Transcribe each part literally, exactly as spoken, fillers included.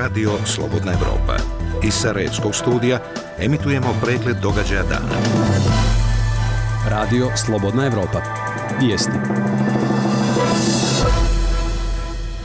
Radio Slobodna Evropa. Iz Sarajevskog studija emitujemo pregled događaja dana. Radio Slobodna Evropa. Vijesti.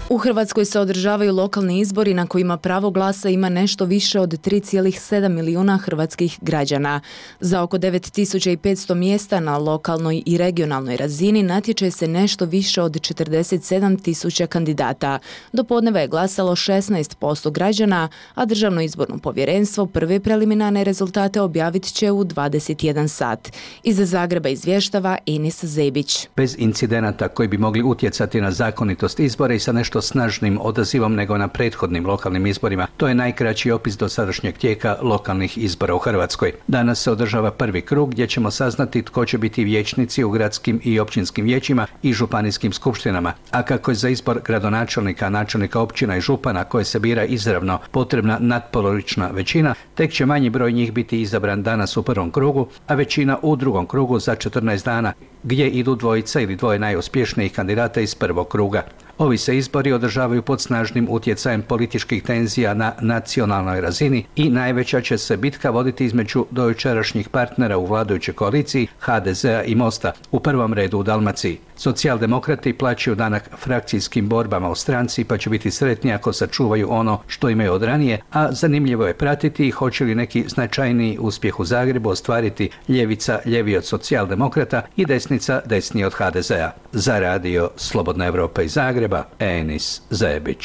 U Hrvatskoj se održavaju lokalni izbori na kojima pravo glasa ima nešto više od tri zarez sedam milijuna hrvatskih građana. Za oko devet tisuća petsto mjesta na lokalnoj i regionalnoj razini natječe se nešto više od četrdeset sedam tisuća kandidata. Do podneva je glasalo šesnaest posto građana, a Državno izborno povjerenstvo prve preliminarne rezultate objavit će u dvadeset jedan sat. Iz Zagreba izvještava Enis Zebić. Bez incidenata koji bi mogli utjecati na zakonitost izbora i sa nešto snažnim odazivom nego na prethodnim lokalnim izborima. To je najkraći opis dosadašnjeg tijeka lokalnih izbora u Hrvatskoj. Danas se održava prvi krug gdje ćemo saznati tko će biti vijećnici u gradskim i općinskim vijećima i županijskim skupštinama. A kako je za izbor gradonačelnika, načelnika općina i župana koje se bira izravno potrebna natpolovična većina, tek će manji broj njih biti izabran danas u prvom krugu, a većina u drugom krugu za četrnaest dana, gdje idu dvojica ili dvoje najuspješnijih kandidata iz prvog kruga. Ovi se izbori održavaju pod snažnim utjecajem političkih tenzija na nacionalnoj razini i najveća će se bitka voditi između dojučerašnjih partnera u vladajućoj koaliciji ha de zea i Mosta, u prvom redu u Dalmaciji. Socijaldemokrati plaćaju danak frakcijskim borbama u stranci pa će biti sretni ako sačuvaju ono što imaju od ranije, a zanimljivo je pratiti hoće li neki značajniji uspjeh u Zagrebu ostvariti ljevica ljeviji od socijaldemokrata i desnica desniji od ha de zea. Za Radio Slobodna Evropa iz Zagreba, Enis Zebić.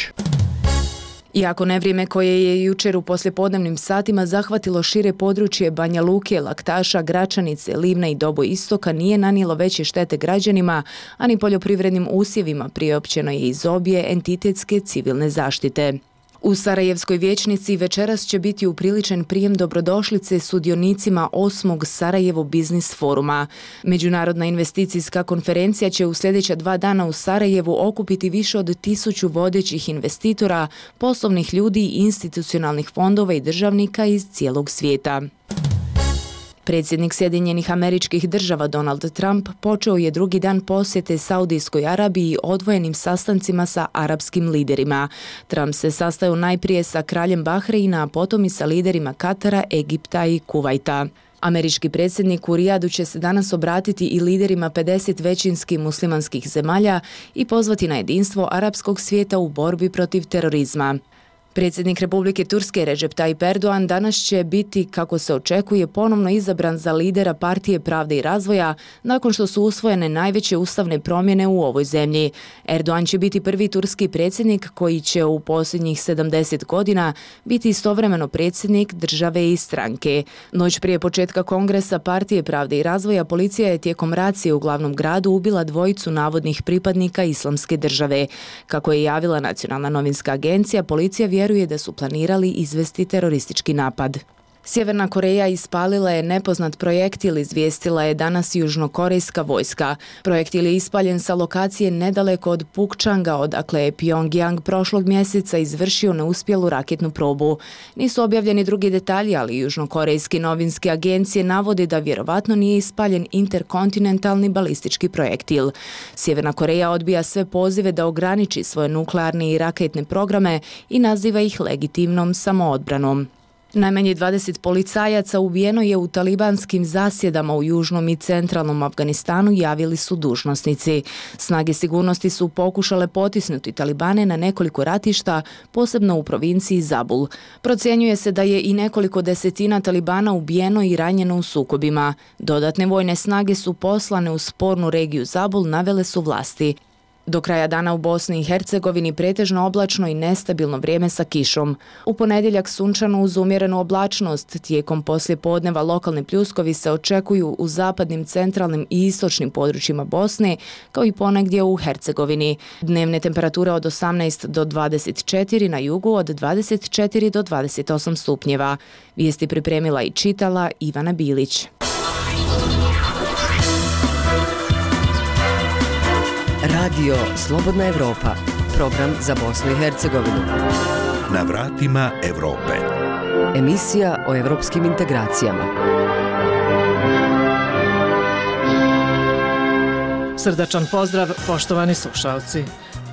Iako nevrijeme koje je jučer u poslijepodnevnim satima zahvatilo šire područje Banja Luke, Laktaša, Gračanice, Livna i Doboj Istoka nije nanijelo veće štete građanima, ani poljoprivrednim usjevima, priopćeno je iz obje entitetske civilne zaštite. U Sarajevskoj vijećnici večeras će biti upriličen prijem dobrodošlice sudionicima osmog Sarajevo Biznis foruma. Međunarodna investicijska konferencija će u sljedeća dva dana u Sarajevu okupiti više od tisuću vodećih investitora, poslovnih ljudi i institucionalnih fondova i državnika iz cijelog svijeta. Predsjednik Sjedinjenih Američkih Država Donald Trump počeo je drugi dan posjete Saudijskoj Arabiji odvojenim sastancima sa arapskim liderima. Trump se sastao najprije sa kraljem Bahreina, a potom i sa liderima Katara, Egipta i Kuvajta. Američki predsjednik u Rijadu će se danas obratiti i liderima pedeset većinski muslimanskih zemalja i pozvati na jedinstvo arapskog svijeta u borbi protiv terorizma. Predsjednik Republike Turske Recep Tayyip Erdogan danas će biti, kako se očekuje, ponovno izabran za lidera Partije pravde i razvoja nakon što su usvojene najveće ustavne promjene u ovoj zemlji. Erdogan će biti prvi turski predsjednik koji će u posljednjih sedamdeset godina biti istovremeno predsjednik države i stranke. Noć prije početka kongresa Partije pravde i razvoja policija je tijekom racije u glavnom gradu ubila dvojicu navodnih pripadnika Islamske države. Kako je javila Nacionalna novinska agencija, policija vjeruje da su planirali izvesti teroristički napad. Sjeverna Koreja ispalila je nepoznat projektil, izvijestila je danas južnokorejska vojska. Projektil je ispaljen sa lokacije nedaleko od Pukchanga, odakle je Pyongyang prošlog mjeseca izvršio neuspjelu raketnu probu. Nisu objavljeni drugi detalji, ali južnokorejske novinske agencije navode da vjerovatno nije ispaljen interkontinentalni balistički projektil. Sjeverna Koreja odbija sve pozive da ograniči svoje nuklearne i raketne programe i naziva ih legitimnom samoodbranom. Najmanje dvadeset policajaca ubijeno je u talibanskim zasjedama u južnom i centralnom Afganistanu, javili su dužnosnici. Snage sigurnosti su pokušale potisnuti talibane na nekoliko ratišta, posebno u provinciji Zabul. Procjenjuje se da je i nekoliko desetina talibana ubijeno i ranjeno u sukobima. Dodatne vojne snage su poslane u spornu regiju Zabul, navele su vlasti. Do kraja dana u Bosni i Hercegovini pretežno oblačno i nestabilno vrijeme sa kišom. U ponedjeljak sunčano uz umjerenu oblačnost. Tijekom poslijepodneva lokalni pljuskovi se očekuju u zapadnim, centralnim i istočnim područjima Bosne, kao i ponegdje u Hercegovini. Dnevne temperature od osamnaest do dvadeset četiri, na jugu od dvadeset četiri do dvadeset osam stupnjeva. Vijesti pripremila i čitala Ivana Bilić. Radio Slobodna Evropa, program za Bosnu i Hercegovinu. Na vratima Europe. Emisija o evropskim integracijama. Srdačan pozdrav, poštovani slušalci.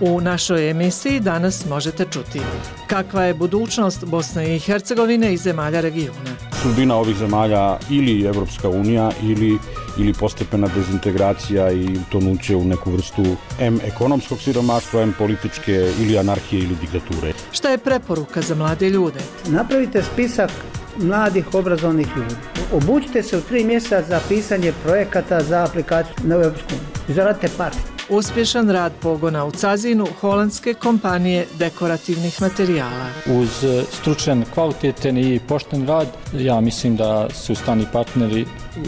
U našoj emisiji danas možete čuti kakva je budućnost Bosne i Hercegovine i zemalja regiona. Sudbina ovih zemalja ili Evropska unija ili, ili postepena dezintegracija i utonuće u neku vrstu em ekonomskog siromaštva, em političke ili anarhije ili diktature. Šta je preporuka za mlade ljude? Napravite spisak mladih obrazovnih ljudi. Obučite se u tri mjeseca za pisanje projekata za aplikaciju na Evropsku uniju. Zaradite part. Uspješan rad pogona u Cazinu holandske kompanije dekorativnih materijala. Uz stručan, kvalitetan i pošten rad, ja mislim da su strani partneri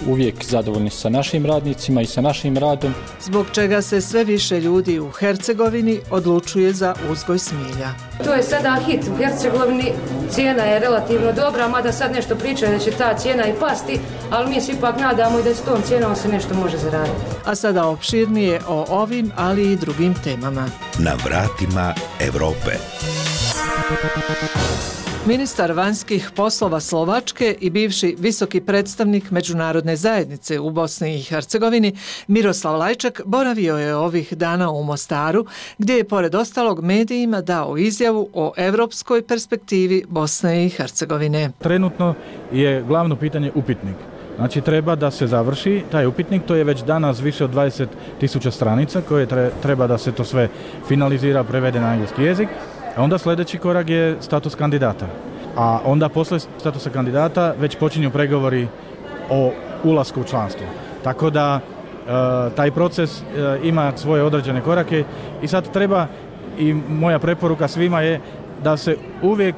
uvijek zadovoljni sa našim radnicima i sa našim radom. Zbog čega se sve više ljudi u Hercegovini odlučuje za uzgoj smilja. To je sada hit u Hercegovini, cijena je relativno dobra, mada sad nešto pričaju da će ta cijena i pasti, ali mi se ipak nadamo i da s tom cijenom se nešto može zaraditi. A sada opširnije o ovim, ali i drugim temama. Na vratima Europe. Ministar vanjskih poslova Slovačke i bivši visoki predstavnik međunarodne zajednice u Bosni i Hercegovini Miroslav Lajčak boravio je ovih dana u Mostaru, gdje je pored ostalog medijima dao izjavu o europskoj perspektivi Bosne i Hercegovine. Trenutno je glavno pitanje upitnik. Znači treba da se završi taj upitnik, to je već danas više od dvadeset tisuća stranica koje treba da se to sve finalizira, prevede na engleski jezik. A onda sljedeći korak je status kandidata. A onda posle statusa kandidata već počinju pregovori o ulasku u članstvo. Tako da e, taj proces e, ima svoje određene korake i sad treba, i moja preporuka svima je da se uvijek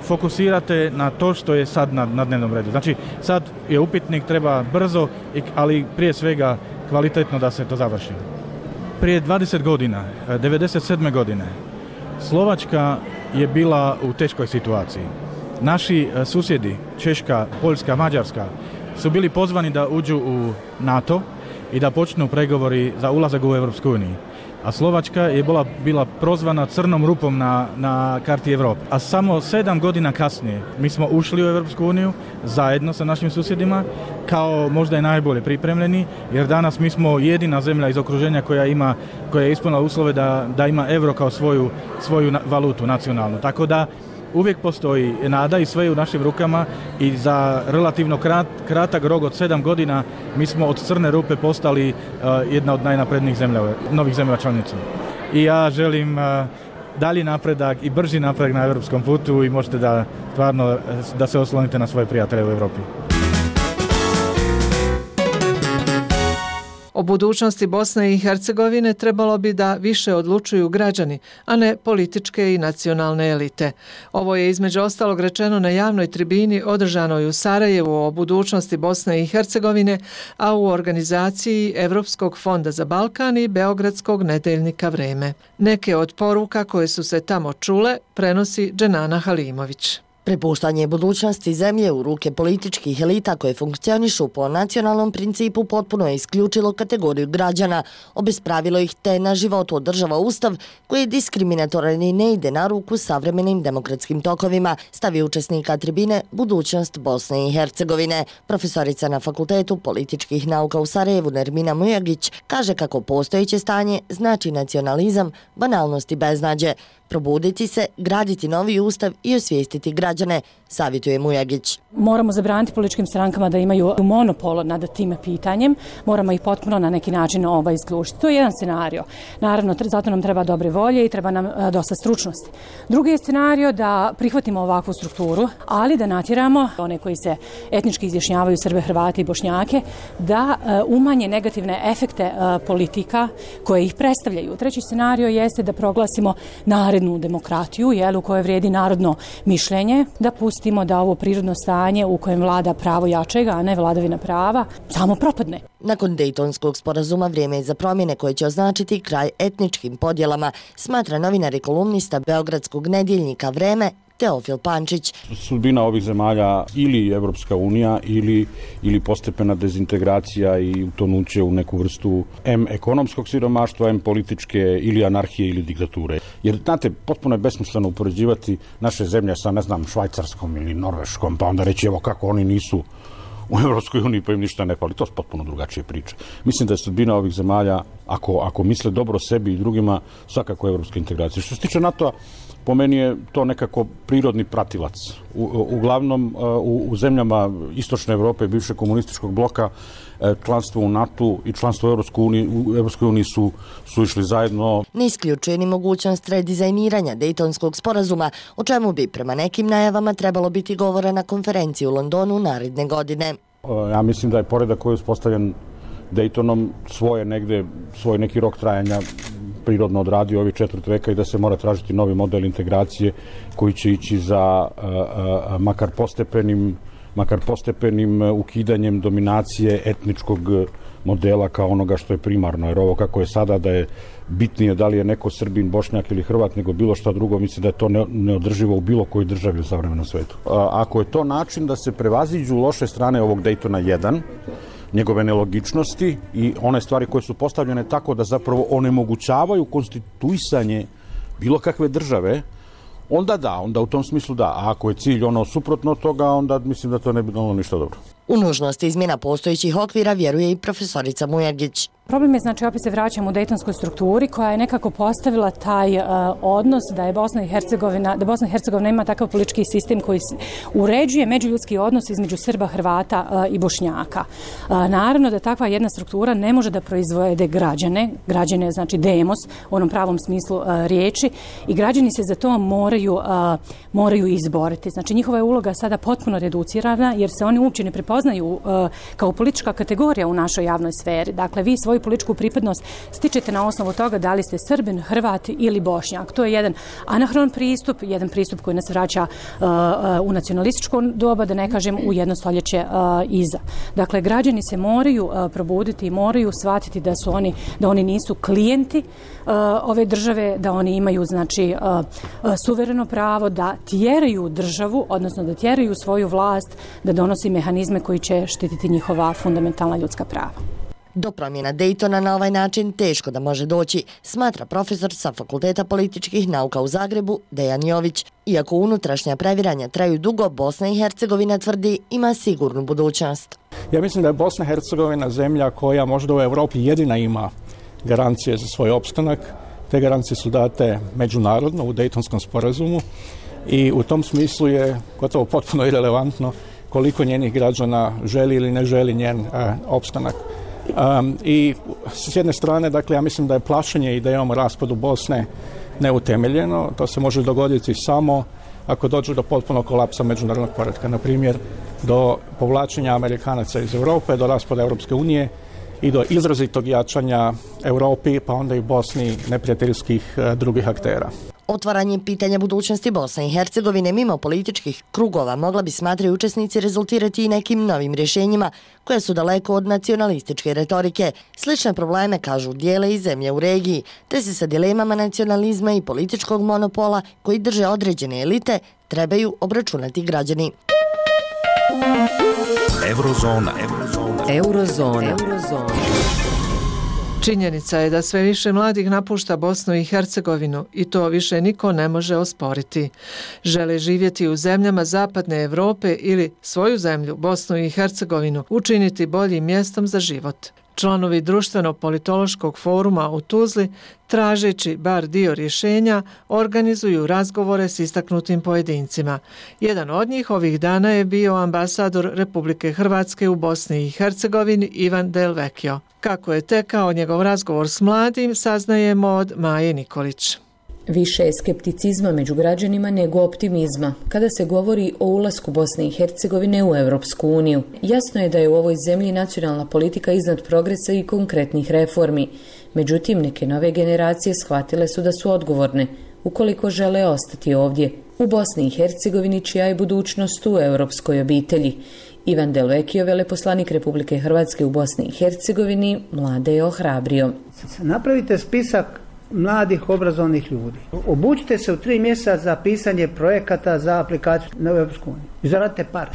fokusirate na to što je sad na, na dnevnom redu. Znači sad je upitnik, treba brzo, ali prije svega kvalitetno da se to završi. Prije dvadeset godina, devedeset sedme godine, Slovačka je bila u teškoj situaciji. Naši susjedi, Češka, Poljska, Mađarska, su bili pozvani da uđu u NATO i da počnu pregovori za ulazak u Europsku uniju. A Slovačka je bila, bila prozvana crnom rupom na, na karti Europe. A samo sedam godina kasnije mi smo ušli u Europsku uniju zajedno sa našim susjedima kao možda i najbolje pripremljeni, jer danas mi smo jedina zemlja iz okruženja koja ima, koja je ispunila uslove da, da ima euro kao svoju, svoju valutu nacionalnu. Tako da uvijek postoji nada i sve je u našim rukama i za relativno krat, kratak rok od sedam godina mi smo od crne rupe postali uh, jedna od najnaprednijih zemlja, novih zemlja članica. I ja želim uh, dalji napredak i brži napredak na europskom putu i možete da stvarno da se oslonite na svoje prijatelje u Europi. O budućnosti Bosne i Hercegovine trebalo bi da više odlučuju građani, a ne političke i nacionalne elite. Ovo je između ostalog rečeno na javnoj tribini održanoj u Sarajevu o budućnosti Bosne i Hercegovine, a u organizaciji Evropskog fonda za Balkan i Beogradskog nedeljnika Vreme. Neke od poruka koje su se tamo čule prenosi Dženana Halimović. Prepuštanje budućnosti zemlje u ruke političkih elita koje funkcionišu po nacionalnom principu potpuno je isključilo kategoriju građana, obespravilo ih te na životu održava ustav koji je diskriminatoran i ne ide na ruku savremenim demokratskim tokovima, stavi učesnika tribine Budućnost Bosne i Hercegovine. Profesorica na Fakultetu političkih nauka u Sarajevu Nermina Mujagić kaže kako postojeće stanje znači nacionalizam, banalnost i beznađe. Probuditi se, graditi novi ustav i osvijestiti građane, savjetuje Mujagić. Moramo zabraniti političkim strankama da imaju monopol nad tim pitanjem, moramo ih potpuno na neki način ovaj isključiti. To je jedan scenario. Naravno, zato nam treba dobre volje i treba nam dosta stručnosti. Drugi je scenario da prihvatimo ovakvu strukturu, ali da natjeramo one koji se etnički izjašnjavaju, Srbe, Hrvate i Bošnjake, da umanje negativne efekte politika koje ih predstavljaju. Treći scenario jeste da proglasimo narednu demokratiju, jel, u kojoj vrijedi narodno mišljenje, da pustimo da ovo prirodno stanje u kojem vlada pravo jačega, a ne vladavina prava, samo propadne. Nakon Dejtonskog sporazuma vrijeme je za promjene koje će označiti kraj etničkim podjelama, smatra novinar i kolumnista Beogradskog nedjeljnika Vreme Teofil Pančić. Sudbina ovih zemalja ili Evropska unija ili, ili postepena dezintegracija i utonuće u neku vrstu em ekonomskog siromaštva, em političke ili anarhije ili diktature. Jer, znate, potpuno je besmisleno upoređivati naše zemlje sa, ne znam, Švajcarskom ili Norveškom, pa onda reći evo kako oni nisu u Evropskoj uniji pa im ništa ne fali. To su potpuno drugačije priče. Mislim da je sudbina ovih zemalja ako, ako misle dobro sebi i drugima, svakako evropska integracija. Što se tiče NATO-a, po meni je to nekako prirodni pratilac. U, uglavnom u, u zemljama Istočne Evrope, bivšeg komunističkog bloka, članstvo u NATO i članstvo u Evropskoj uniji, u Evropskoj uniji su, su išli zajedno. Ne isključuje ni mogućnost redizajniranja Dejtonskog sporazuma, o čemu bi prema nekim najavama trebalo biti govora na konferenciji u Londonu naredne godine. Ja mislim da je poredak koji je uspostavljen Dejtonom svoje negde, svoj neki rok trajanja prirodno odradio ovih četvrt veka i da se mora tražiti novi model integracije koji će ići za a, a, makar postepenim makar postepenim ukidanjem dominacije etničkog modela kao onoga što je primarno, jer ovo kako je sada da je bitnije da li je neko Srbin, Bošnjak ili Hrvat nego bilo šta drugo, mislim da je to neodrživo u bilo kojoj državi u savremenom svetu. A, ako je to način da se prevaziđu loše strane ovog Dejtona jedan, njegove nelogičnosti i one stvari koje su postavljene tako da zapravo onemogućavaju konstituisanje bilo kakve države, onda da, onda u tom smislu da. A ako je cilj ono suprotno od toga, onda mislim da to ne bi bilo ništa dobro. U nužnost izmjena postojećih okvira vjeruje i profesorica Mujagić. Problem je, znači, opet se vraćamo u dejtonskoj strukturi koja je nekako postavila taj uh, odnos da je Bosna i Hercegovina, da Bosna i Hercegovina ima takav politički sistem koji uređuje međuljudski odnos između Srba, Hrvata uh, i Bošnjaka. Uh, naravno da takva jedna struktura ne može da proizvede građane, građane znači demos u onom pravom smislu uh, riječi i građani se za to moraju, uh, moraju izboriti. Znači njihova je uloga sada potpuno reducirana jer se oni uopće ne prepoznaju uh, kao politička kategorija u našoj javnoj sferi. Dakle, vi svoju političku pripadnost stičete na osnovu toga da li ste Srbin, Hrvat ili Bošnjak. To je jedan anahron pristup, jedan pristup koji nas vraća uh, u nacionalističko doba, da ne kažem u jedno stoljeće uh, iza. Dakle, građani se moraju uh, probuditi i moraju shvatiti da su oni, da oni nisu klijenti uh, ove države, da oni imaju znači uh, uh, suvereno pravo da tjeraju državu, odnosno da tjeraju svoju vlast, da donosi mehanizme koji će štititi njihova fundamentalna ljudska prava. Do promjena Dejtona na ovaj način teško da može doći, smatra profesor sa Fakulteta političkih nauka u Zagrebu Dejan Jović. Iako unutrašnja previranja traju dugo, Bosna i Hercegovina tvrdi ima sigurnu budućnost. Ja mislim da je Bosna i Hercegovina zemlja koja možda u Europi jedina ima garancije za svoj opstanak. Te garancije su date međunarodno u Dejtonskom sporazumu i u tom smislu je gotovo potpuno irelevantno koliko njenih građana želi ili ne želi njen e, opstanak. Um, I s jedne strane, dakle, ja mislim da je plašenje idejom o raspadu Bosne neutemeljeno. To se može dogoditi samo ako dođe do potpunog kolapsa međunarodnog poretka. Na primjer, do povlačenja Amerikanaca iz Europe, do raspada Europske unije i do izrazitog jačanja Europi, pa onda i Bosni neprijateljskih uh, drugih aktera. Otvaranje pitanja budućnosti Bosne i Hercegovine mimo političkih krugova mogla bi, smatraju učesnici, rezultirati i nekim novim rješenjima koje su daleko od nacionalističke retorike. Slične probleme, kažu, dijele i zemlje u regiji, te se sa dilemama nacionalizma i političkog monopola koji drže određene elite trebaju obračunati građani. Eurozona. Eurozona. Eurozona. Eurozona. Činjenica je da sve više mladih napušta Bosnu i Hercegovinu i to više niko ne može osporiti. Žele živjeti u zemljama Zapadne Evrope ili svoju zemlju, Bosnu i Hercegovinu, učiniti boljim mjestom za život. Članovi društveno-politološkog foruma u Tuzli, tražeći bar dio rješenja, organizuju razgovore s istaknutim pojedincima. Jedan od njih ovih dana je bio ambasador Republike Hrvatske u Bosni i Hercegovini Ivan Del Vecchio. Kako je tekao njegov razgovor s mladim, saznajemo od Maje Nikolić. Više je skepticizma među građanima nego optimizma kada se govori o ulasku Bosne i Hercegovine u Europsku uniju. Jasno je da je u ovoj zemlji nacionalna politika iznad progresa i konkretnih reformi. Međutim, neke nove generacije shvatile su da su odgovorne ukoliko žele ostati ovdje, u Bosni i Hercegovini, čija je budućnost u europskoj obitelji. Ivan Del Vecchio, veleposlanik Republike Hrvatske u Bosni i Hercegovini, mlade je ohrabrio. Napravite spisak mladih obrazovnih ljudi. Obučite se u tri mjeseca za pisanje projekata za aplikaciju na Europsku uniju. I zaradite pare.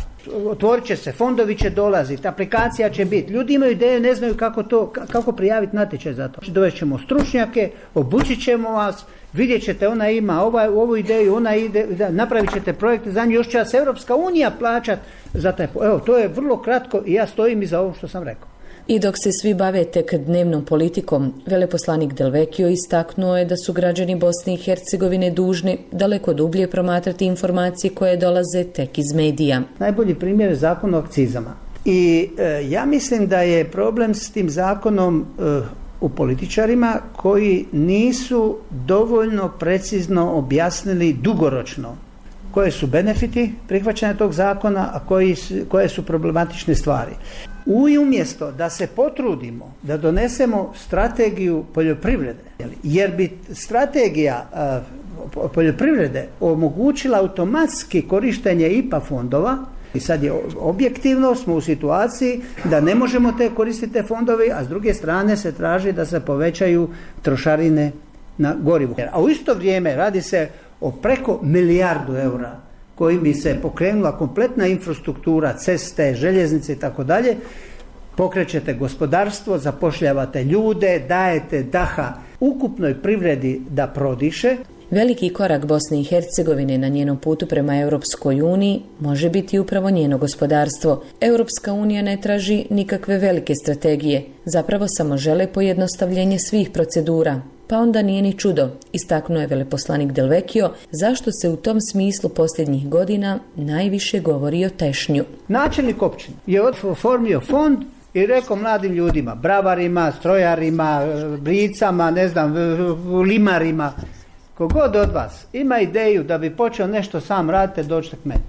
Otvorit će se, fondovi će dolaziti, aplikacija će biti. Ljudi imaju ideje, ne znaju kako to, kako prijaviti natječaj za to. Dovest ćemo stručnjake, obučit ćemo vas, vidjet ćete, ona ima ovaj, ovu ideju, ona ide, da, napravit ćete projekte za nju, još će vas Europska unija plaćati za taj. Evo, to je vrlo kratko i ja stojim iza ovo što sam rekao. I dok se svi bave tek dnevnom politikom, veleposlanik Delvekio istaknuo je da su građani Bosne i Hercegovine dužni daleko dublje promatrati informacije koje dolaze tek iz medija. Najbolji primjer je zakon o akcizama. I e, ja mislim da je problem s tim zakonom e, u političarima koji nisu dovoljno precizno objasnili dugoročno koje su benefiti prihvaćanja tog zakona, a koji, koje su problematične stvari. I umjesto da se potrudimo da donesemo strategiju poljoprivrede, jer bi strategija uh, poljoprivrede omogućila automatski korištenje I P A fondova, i sad je objektivno smo u situaciji da ne možemo te koristiti te fondove, a s druge strane se traži da se povećaju trošarine na gorivo. A u isto vrijeme radi se o preko milijardu eura kojim bi se pokrenula kompletna infrastruktura, ceste, željeznice i tako dalje. Pokrećete gospodarstvo, zapošljavate ljude, dajete daha ukupnoj privredi da prodiše. Veliki korak Bosne i Hercegovine na njenom putu prema Europskoj uniji može biti upravo njeno gospodarstvo. Europska unija ne traži nikakve velike strategije, zapravo samo žele pojednostavljenje svih procedura. Pa onda nije ni čudo, istaknuo je veleposlanik Delvekio, zašto se u tom smislu posljednjih godina najviše govori o tešnju. Načelnik općine je oformio fond i rekao mladim ljudima, bravarima, strojarima, bricama, ne znam, limarima, kogod od vas ima ideju da bi počeo nešto sam raditi, dođite k meni.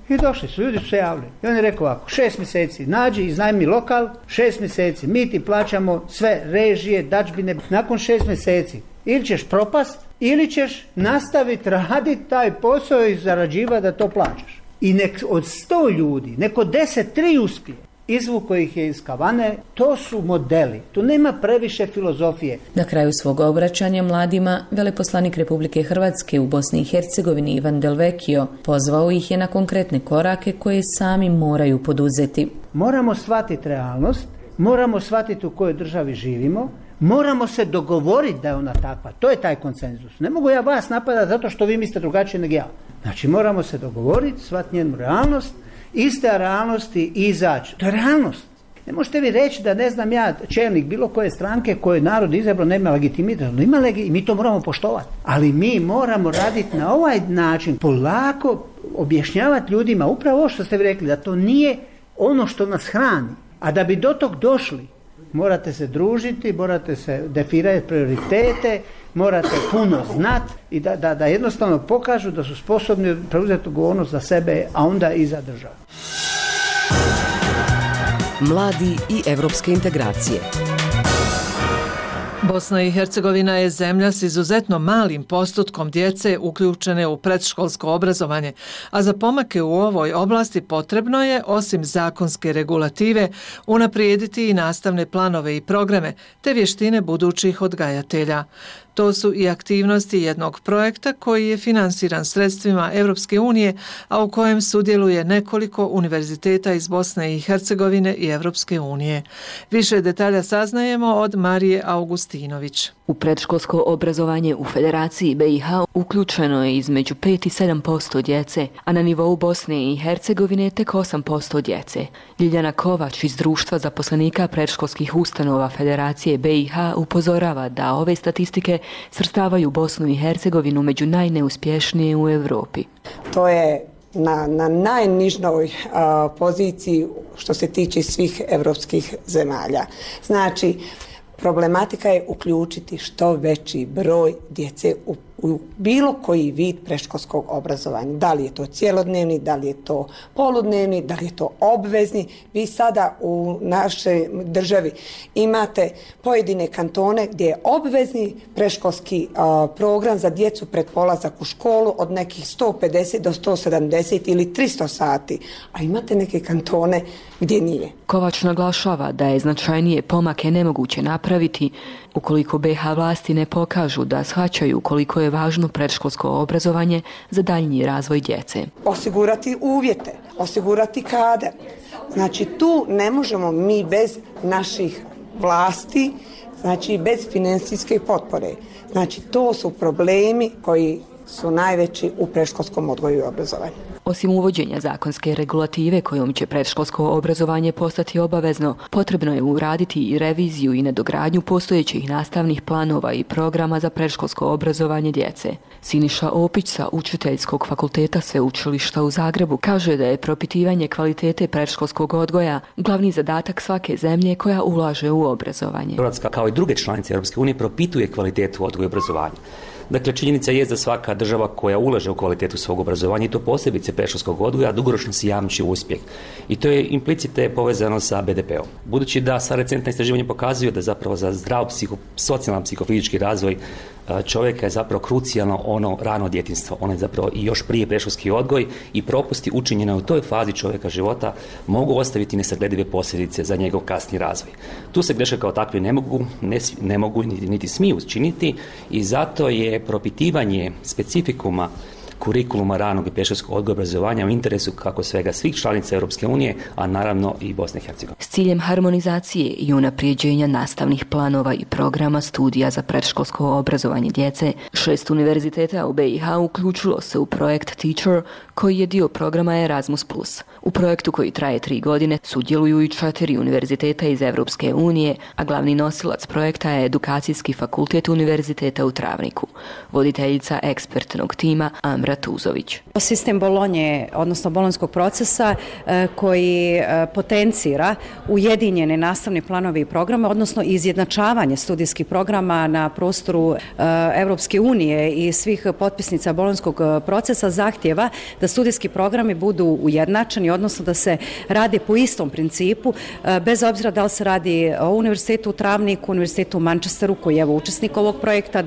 I došli su, ljudi su se javili. I on je rekao ovako, šest mjeseci, nađi, iznajmi lokal, šest mjeseci, mi ti plaćamo sve režije, dadžbine. Nakon šest mjeseci ili ćeš propast, ili ćeš nastaviti raditi taj posao i zarađivati da to plaćaš. I nek od sto ljudi, neko deset, tri uspije. Izvuko ih je iz kavane, to su modeli, tu nema previše filozofije. Na kraju svog obraćanja mladima, veleposlanik Republike Hrvatske u Bosni i Hercegovini Ivan Delvekio pozvao ih je na konkretne korake koje sami moraju poduzeti. Moramo shvatiti realnost, moramo shvatiti u kojoj državi živimo, moramo se dogovoriti da je ona takva, to je taj konsenzus. Ne mogu ja vas napadati zato što vi mislite drugačije nego ja. Znači moramo se dogovoriti, shvatiti njenu realnost, iste realnosti i izaći. To je realnost. Ne možete vi reći da ne znam ja čelnik bilo koje stranke koje narod izabrao nema legitimitet. Ima legi, i mi to moramo poštovati. Ali mi moramo raditi na ovaj način, polako objašnjavati ljudima upravo ovo što ste vi rekli, da to nije ono što nas hrani. A da bi do tog došli, morate se družiti, morate se definirati prioritete, morate puno znati i da, da, da jednostavno pokažu da su sposobni preuzeti odgovornost za sebe, a onda i za državu. Mladi i evropske integracije. Bosna i Hercegovina je zemlja s izuzetno malim postotkom djece uključene u predškolsko obrazovanje, a za pomake u ovoj oblasti potrebno je, osim zakonske regulative, unaprijediti i nastavne planove i programe, te vještine budućih odgajatelja. To su i aktivnosti jednog projekta koji je finansiran sredstvima Europske unije, a u kojem sudjeluje nekoliko univerziteta iz Bosne i Hercegovine i Europske unije. Više detalja saznajemo od Marije Augustinović. U predškolsko obrazovanje u Federaciji B i H uključeno je između pet i sedam posto djece, a na nivou Bosne i Hercegovine tek osam posto djece. Ljiljana Kovač iz Društva zaposlenika predškolskih ustanova Federacije B i H upozorava da ove statistike svrstavaju Bosnu i Hercegovinu među najneuspješnije u Europi. To je na, na najnižnoj a, poziciji što se tiče svih europskih zemalja. Znači, problematika je uključiti što veći broj djece u, u bilo koji vid predškolskog obrazovanja. Da li je to cjelodnevni, da li je to poludnevni, da li je to obvezni. Vi sada u našoj državi imate pojedine kantone gdje je obvezni predškolski a, program za djecu pred polazak u školu od nekih sto pedeset do sto sedamdeset ili tristo sati, a imate neke kantone gdje nije. Kovač naglašava da je značajnije pomake nemoguće napraviti ukoliko B i H vlasti ne pokažu da shvaćaju koliko je važno predškolsko obrazovanje za daljnji razvoj djece. Osigurati uvjete, osigurati kadar. Znači tu ne možemo mi bez naših vlasti, znači bez financijske potpore. Znači to su problemi koji su najveći u predškolskom odgoju i obrazovanju. Osim uvođenja zakonske regulative kojom će predškolsko obrazovanje postati obavezno, potrebno je uraditi i reviziju i nadogradnju postojećih nastavnih planova i programa za predškolsko obrazovanje djece. Siniša Opić sa Učiteljskog fakulteta Sveučilišta u Zagrebu kaže da je propitivanje kvalitete predškolskog odgoja glavni zadatak svake zemlje koja ulaže u obrazovanje. Hrvatska, kao i druge članice Europske unije, propituje kvalitetu odgoja i obrazovanja. Dakle, činjenica je da svaka država koja ulaže u kvalitetu svog obrazovanja, i to posebice predškolskog odgoja, dugoročno si jamči uspjeh. I to je implicite povezano sa be de pe om. Budući da sva recentna istraživanja pokazuju da zapravo za zdrav psiho, socijalan psihofizički razvoj čovjeka je zapravo krucijalno ono rano djetinjstvo. Ono je zapravo i još prije predškolski odgoj i propusti učinjene u toj fazi čovjeka života mogu ostaviti nesagledive posljedice za njegov kasni razvoj. Tu se greške kao takve ne mogu, ne, ne mogu niti, niti smiju činiti i zato je propitivanje specifikuma kurikuluma ranog i predškolskog odgoja i obrazovanja u interesu kako svega svih članica Europske unije, a naravno i Bosne i Hercegovine. S ciljem harmonizacije i unaprijeđenja nastavnih planova i programa studija za predškolsko obrazovanje djece, šest univerziteta u be i ha uključilo se u projekt Teacher, koji je dio programa Erasmus plus. U projektu koji traje tri godine sudjeluju i četiri univerziteta iz Europske unije, a glavni nosilac projekta je Edukacijski fakultet Univerziteta u Travniku. Voditeljica ekspertnog tima Amra Tuzović. Sistem Bolonje, odnosno bolonjskog procesa koji potencira ujedinjene nastavne planove i programe, odnosno izjednačavanje studijskih programa na prostoru Europske unije i svih potpisnica bolonjskog procesa zahtjeva da studijski programi budu ujednačeni, odnosno da se radi po istom principu, bez obzira da li se radi o Univerzitetu u Travniku, Univerzitetu u Manchesteru, koji je evo učesnik ovog projekta,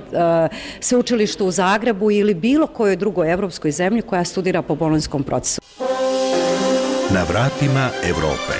sveučilištu u Zagrebu ili bilo kojoj drugoj evropskoj zemlji koja studira po bolonjskom procesu. Na vratima Europe.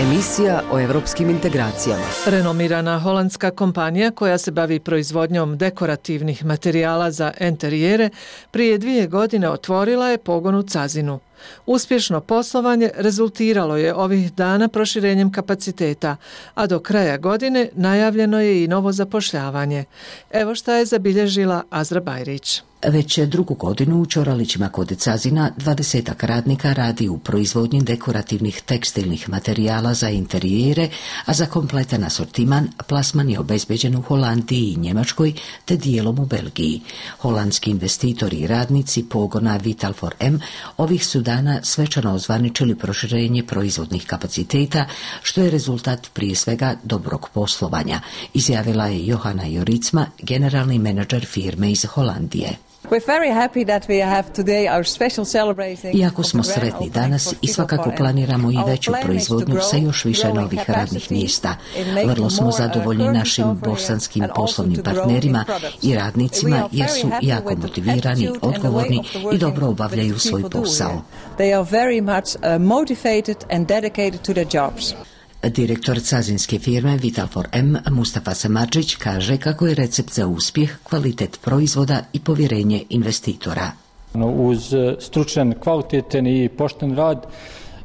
Emisija o evropskim integracijama. Renomirana holandska kompanija koja se bavi proizvodnjom dekorativnih materijala za enterijere prije dvije godine otvorila je pogon u Cazinu. Uspješno poslovanje rezultiralo je ovih dana proširenjem kapaciteta, a do kraja godine najavljeno je i novo zapošljavanje. Evo šta je zabilježila Azra Bajrić. Već drugu godinu u Ćoralićima kod Cazina dvadesetak radnika radi u proizvodnji dekorativnih tekstilnih materijala za interijere, a za kompletan asortiman plasman je obezbeđen u Holandiji i Njemačkoj te dijelom u Belgiji. Holandski investitori i radnici pogona Vital for M ovih su dana svečano ozvaničili proširenje proizvodnih kapaciteta, što je rezultat prije svega dobrog poslovanja, izjavila je Johana Joricma, generalni menadžer firme iz Holandije. Iako smo sretni danas i svakako planiramo i veću proizvodnju sa još više novih radnih mjesta. Vrlo smo zadovoljni našim bosanskim poslovnim partnerima i radnicima jer su jako motivirani, odgovorni i dobro obavljaju svoj posao. Direktor cazinske firme Vital for M, Mustafa Samadžić, kaže kako je recept za uspjeh kvalitet proizvoda i povjerenje investitora. Uz stručan, kvalitetan i pošten rad,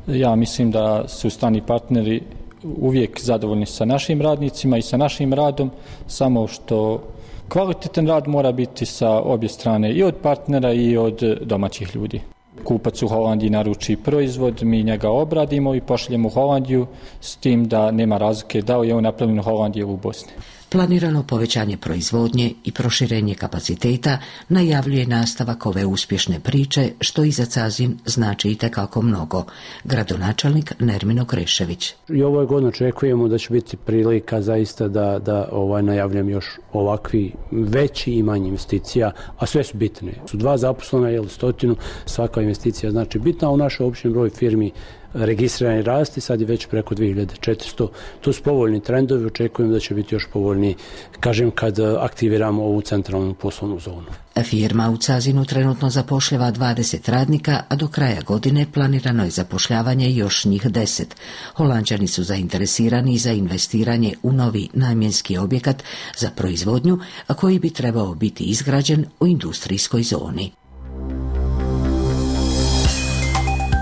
ja mislim da su strani partneri uvijek zadovoljni sa našim radnicima i sa našim radom, samo što kvalitetan rad mora biti sa obje strane, i od partnera i od domaćih ljudi. Kupac u Holandiji naruči proizvod, mi njega obradimo i pošaljemo u Holandiju, s tim da nema razlike da li je on napravljen u Holandiji ili u Bosni. Planirano povećanje proizvodnje i proširenje kapaciteta najavljuje nastavak ove uspješne priče, što i za Cazin znači itekako mnogo. Gradonačelnik Nermino Krešević. I ovoj godini očekujemo da će biti prilika zaista da, da ovaj, najavljam još ovakvi veći i manji investicija, a sve su bitne. Su dva zaposlena, jel, stotinu, svaka investicija znači bitna, a u našoj općem broj firmi registrirani rasti, sad je već preko dvije hiljade četiristo. To su povoljni trendovi, očekujem da će biti još povoljniji, kažem, kad aktiviramo ovu centralnu poslovnu zonu. Firma u Cazinu trenutno zapošljava dvadeset radnika, a do kraja godine planirano je zapošljavanje još njih deset. Holanđani su zainteresirani za investiranje u novi namjenski objekat za proizvodnju, a koji bi trebao biti izgrađen u industrijskoj zoni.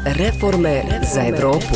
Reforme za Europu.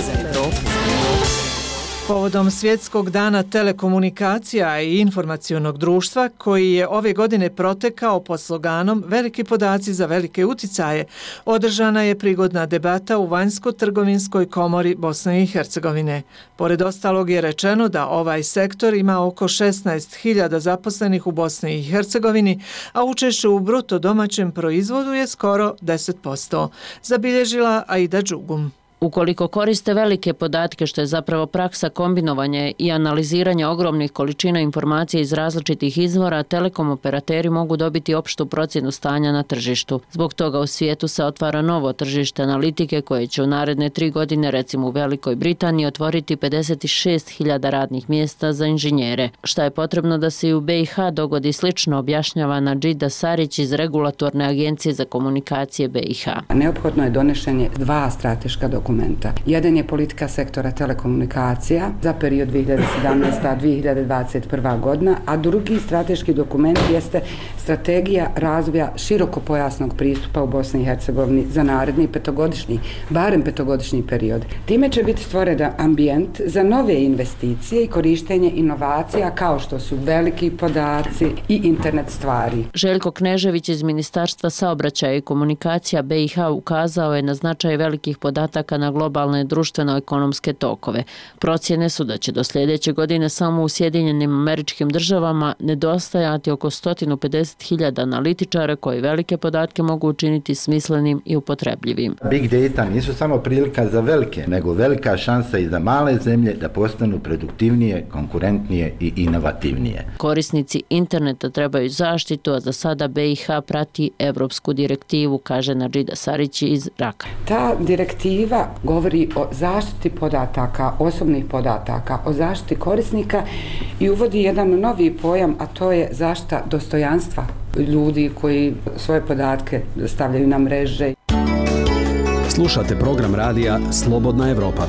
Povodom Svjetskog dana telekomunikacija i informacionog društva, koji je ove godine protekao pod sloganom Veliki podaci za velike uticaje, održana je prigodna debata u Vanjsko-trgovinskoj komori Bosne i Hercegovine. Pored ostalog je rečeno da ovaj sektor ima oko šesnaest hiljada zaposlenih u Bosni i Hercegovini, a učešće u bruto domaćem proizvodu je skoro deset posto. Zabilježila Aida Đugum. Ukoliko koriste velike podatke, što je zapravo praksa kombinovanja i analiziranja ogromnih količina informacija iz različitih izvora, telekom operateri mogu dobiti opštu procjenu stanja na tržištu. Zbog toga u svijetu se otvara novo tržište analitike koje će u naredne tri godine, recimo u Velikoj Britaniji, otvoriti pedeset šest hiljada radnih mjesta za inženjere. Šta je potrebno da se i u B i H dogodi slično, objašnjava Nadžida Sarić iz Regulatorne agencije za komunikacije B i H. Neophodno je donošenje dva strateška dokumenta. Jedan je politika sektora telekomunikacija za period dvije hiljade sedamnaesta do dvije hiljade dvadeset prva godina, a drugi strateški dokument jeste strategija razvoja širokopojasnog pristupa u Bosni i Hercegovini za naredni petogodišnji, barem petogodišnji period. Time će biti stvoren ambijent za nove investicije i korištenje inovacija kao što su veliki podaci i internet stvari. Željko Knežević iz Ministarstva saobraćaja i komunikacija B i H ukazao je na značaj velikih podataka na globalne društveno-ekonomske tokove. Procjene su da će do sljedeće godine samo u Sjedinjenim Američkim Državama nedostajati oko sto pedeset hiljada analitičara koji velike podatke mogu učiniti smislenim i upotrebljivim. Big data nisu samo prilika za velike, nego velika šansa i za male zemlje da postanu produktivnije, konkurentnije i inovativnije. Korisnici interneta trebaju zaštitu, a za sada B i H prati evropsku direktivu, kaže Nadžida Sarić iz Raka. Ta direktiva govori o zaštiti podataka, osobnih podataka, o zaštiti korisnika i uvodi jedan novi pojam, a to je zaštita dostojanstva ljudi koji svoje podatke stavljaju na mreže. Slušate program radija Slobodna Evropa.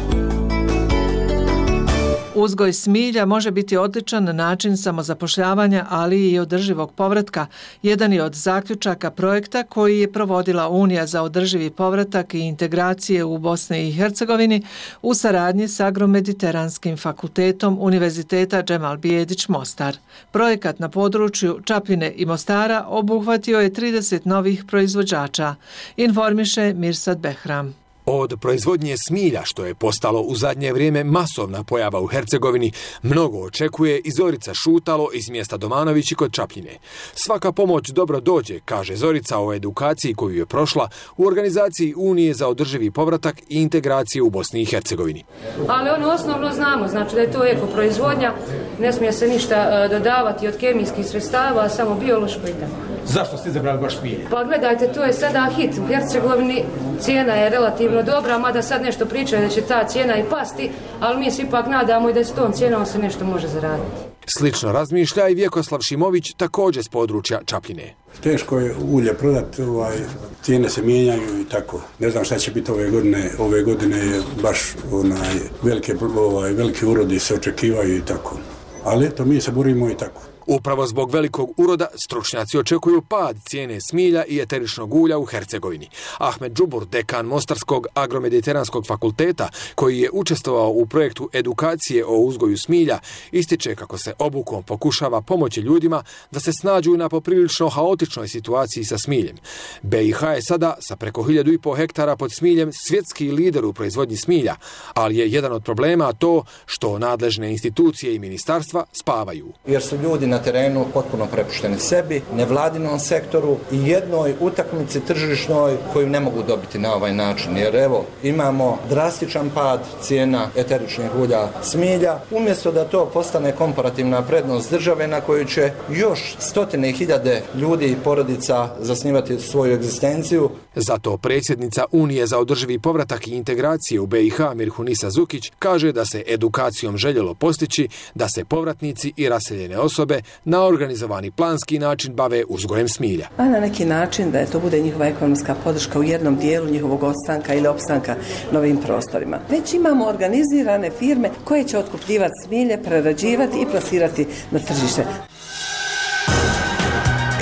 Uzgoj smilja može biti odličan način samozapošljavanja, ali i održivog povratka. Jedan je od zaključaka projekta koji je provodila Unija za održivi povratak i integracije u Bosni i Hercegovini u saradnji s Agromediteranskim fakultetom Univerziteta Džemal Bijedić Mostar. Projekat na području Čapljine i Mostara obuhvatio je trideset novih proizvođača, informiše Mirsad Behram. Od proizvodnje smilja, što je postalo u zadnje vrijeme masovna pojava u Hercegovini, mnogo očekuje i Zorica Šutalo iz mjesta Domanovići kod Čapljine. Svaka pomoć dobro dođe, kaže Zorica o edukaciji koju je prošla u organizaciji Unije za održivi povratak i integraciju u Bosni i Hercegovini. Ali ono osnovno znamo, znači da je to eko proizvodnja, ne smije se ništa dodavati od kemijskih sredstava, samo biološko i tako. Zašto ste izabrali baš smilje? Pa gledajte, to je sada hit. U Hercegovini cijena je relativno dobra, mada sad nešto pričaju da će ta cijena i pasti, ali mi se ipak nadamo i da s tom cijenom se nešto može zaraditi. Slično razmišlja i Vjekoslav Šimović, također s područja Čapljine. Teško je ulje prodati, ovaj, cijene se mijenjaju i tako. Ne znam šta će biti ove godine. Ove godine je baš onaj, velike, ovaj, velike urodi se očekivaju i tako. Ali eto, mi se borimo i tako. Upravo zbog velikog uroda stručnjaci očekuju pad cijene smilja i eteričnog ulja u Hercegovini. Ahmed Džubur, dekan Mostarskog agromediteranskog fakulteta, koji je učestvovao u projektu edukacije o uzgoju smilja, ističe kako se obukom pokušava pomoći ljudima da se snađu na poprilično haotičnoj situaciji sa smiljem. B i H je sada sa preko hiljadu i pol hektara pod smiljem svjetski lider u proizvodnji smilja, ali je jedan od problema to što nadležne institucije i ministarstva spavaju. Jer su ljudi na terenu potpuno prepušteni sebi, nevladinom sektoru i jednoj utakmici tržišnoj koju ne mogu dobiti na ovaj način. Jer evo, imamo drastičan pad cijena eteričnih ulja smilja, umjesto da to postane komparativna prednost države na koju će još stotine hiljade ljudi i porodica zasnivati svoju egzistenciju. Zato predsjednica Unije za održivi povratak i integracije u B i H Mirhunisa Zukić kaže da se edukacijom željelo postići da se povratnici i raseljene osobe na organizovani planski način bave uzgojem smilja. A na neki način da je to bude njihova ekonomska podrška u jednom dijelu njihovog ostanka ili opstanka na ovim prostorima. Već imamo organizirane firme koje će otkupljivati smilje, prerađivati i plasirati na tržište.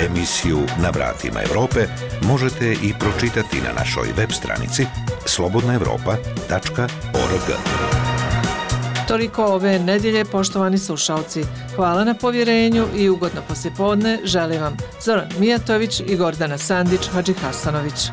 Emisiju Na vratima Europe možete i pročitati na našoj web stranici slobodna evropa tačka org. Toliko ove nedjelje, poštovani slušalci. Hvala na povjerenju i ugodno poslijepodne želim vam Zoran Mijatović i Gordana Sandić Hadžihasanović.